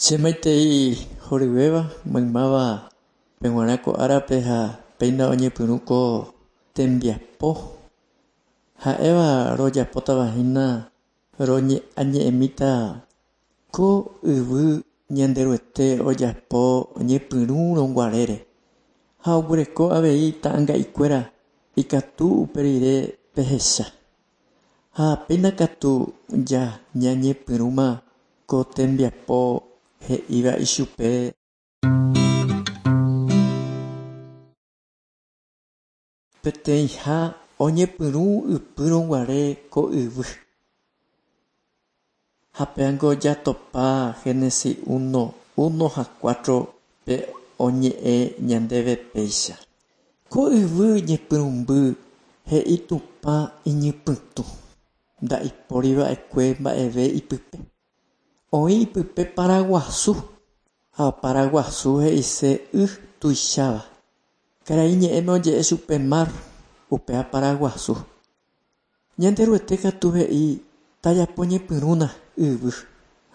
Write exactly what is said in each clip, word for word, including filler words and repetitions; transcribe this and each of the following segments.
Che maitei horyvéva maymáva peg̃uarã ko árape ha péina oñepyrũ ko tembiapo ha'éva rojapótava hína roñe'añe'ẽmíta ko yvy Ñanderuete ojapo ñepyrũrõguarére ha oguereko avei ta'ãnga'ikuéra ikatu upe rire pehecha ha péina katu ja ñañepyrũma ko tembiapo he'íva ichupe. Peteĩha oñepyrũ ypýrõguare ko yvy. Ha péango jatopa Génesis uno, uno ha cuatro pe oñe'ẽ ñandéve péicha. Ko yvy ñepyrũmby he'i Tupã iñypytũ, ndaipóriva'ekue mba'eve ipype. Oĩ ipype paraguasu ha paraguasu he'ise y tuicháva. Karai ñe'ẽme oje'e chupe mar, upéva paraguasu. Ñanderuete katu he'i tajapo ñepyrũna yvy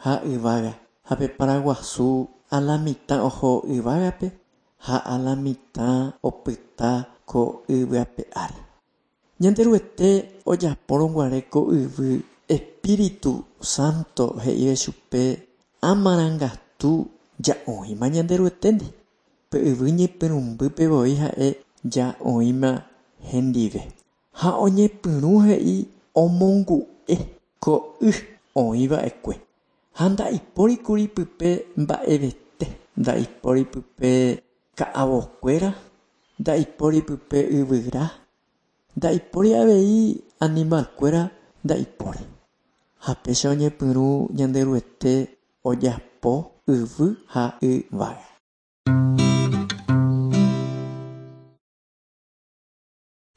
ha yvága ha pe paraguasu alamitã oho yvágape ha alamitã opyta ko yvy ape ári. Ñanderuete ojapórõguare ko yvy Espíritu Santo he'ive chupe amarangatu ja oĩma Ñanderueténdi. Pe yvy ñepyrũmbýpe voi ha'e ja oĩma hendive. Ha oñepyrũ he'i omongu'e ko y oĩva'ekue. Ha ndaipórikuri pype mba'evete, ndaipóri pype ka'avokuéra, ndaipóri pype yvyra, ndaipóri avei animalkuéra ndaipóri. Ha péicha oñepyrũ Ñanderuete ojapo yvy ha yvága.